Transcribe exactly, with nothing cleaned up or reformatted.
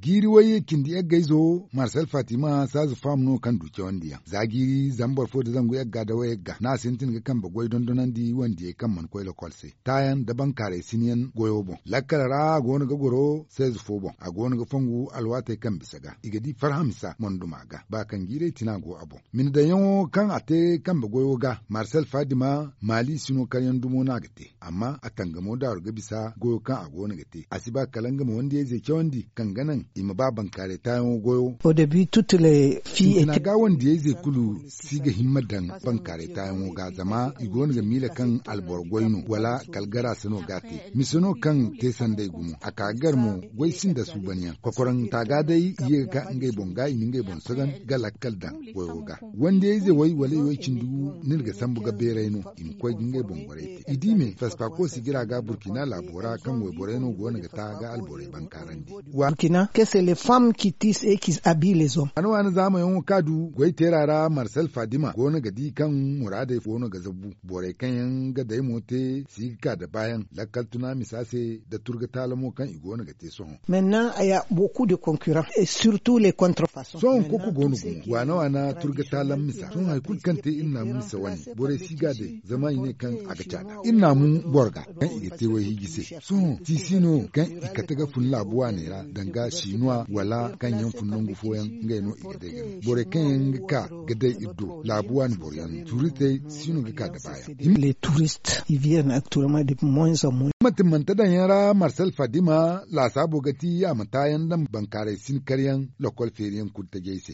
Jiiri way cindi yaggayzo marsel fatima saazu faham no kaŋ du cawandiyaŋ za jiiri zama boro fo nda zangu yagga nda wayagga no a sintin ga kambe goy dondonandi wandiyey kaŋ mana koy lokol se taayaŋ nda bankaaray sinyaŋ goyo boŋ lakkal ra a go no ga goro seezu fo boŋ a go no ga fongu alwaatey kaŋ bisa ga i ga di farhamisa monduma ga ba kaŋ jiirey tina go a boŋ. Mina daŋyaŋo kaŋ a te kambe goyo ga marsel fadima maali sino karyaŋ dumo no a ga te amma a tangamo daaru ga bisa goyo kaŋ a go no ga te a si ba kala nga ma wandiyayzey cawandi kaŋ ga naŋ i ma ba bankaaray taayaŋo goyo. Sintina ga wandiyayzey kulu si ga himma daŋ bankaaray taayaŋo ga zama i go no ga miila kaŋ alboro goy no wala kala gara se no ga a te. Mise no kaŋ te sanday gumo a ka ga gar mo goy sinda suubanyaŋ kokoraŋ taaga day i ye ga ka ngey boŋ ga i na ngey boŋ sagan ga lakkal daŋ goyo ga. Wandiyayze way wala i way cindi gu no iri ga sambu ga beeray no i ma koy ga ngey boŋ borey te i di me fespakosi jira ga burkina laabo ra kaŋ wayborey no go no ga ta ga alborey bankaarandi. Waana waana zaamayaŋo kaŋ a du goy teera ra marsel fadima go no ga di kaŋ muraadey go no ga zabu borey kaŋ yaŋ ga day mo te si ga ka da baayaŋ lakkal tuna misa se nda turga taala mo kaŋ i go no ga te sohõ. Sohõ koko go no gumo waana waana turga taalaŋ misa sohõ hari kulu kaŋ te iri naamu misa wane borey si ga day zama i ne kaŋ a ga caada iri naamu boro ga kaŋ i ga te wayhiiji se. Sohõ tiisi no kaŋ i kate ga fun laabu waaney ra danga sinuwa wala kaŋ yaŋ fun nangu fooyaŋ ngey no i ga day ga naŋ borey kaŋ yaŋ ga ka ga day iri do laabu waani boroyaŋ no tuuristey si no ga ka da baayaŋ. Mantimante daŋyaŋ ra marsel fadima laasaabo ga ti a ma taayaŋ nda bankaaray sin karyaŋ lokol feeriyaŋ kulu tajey se.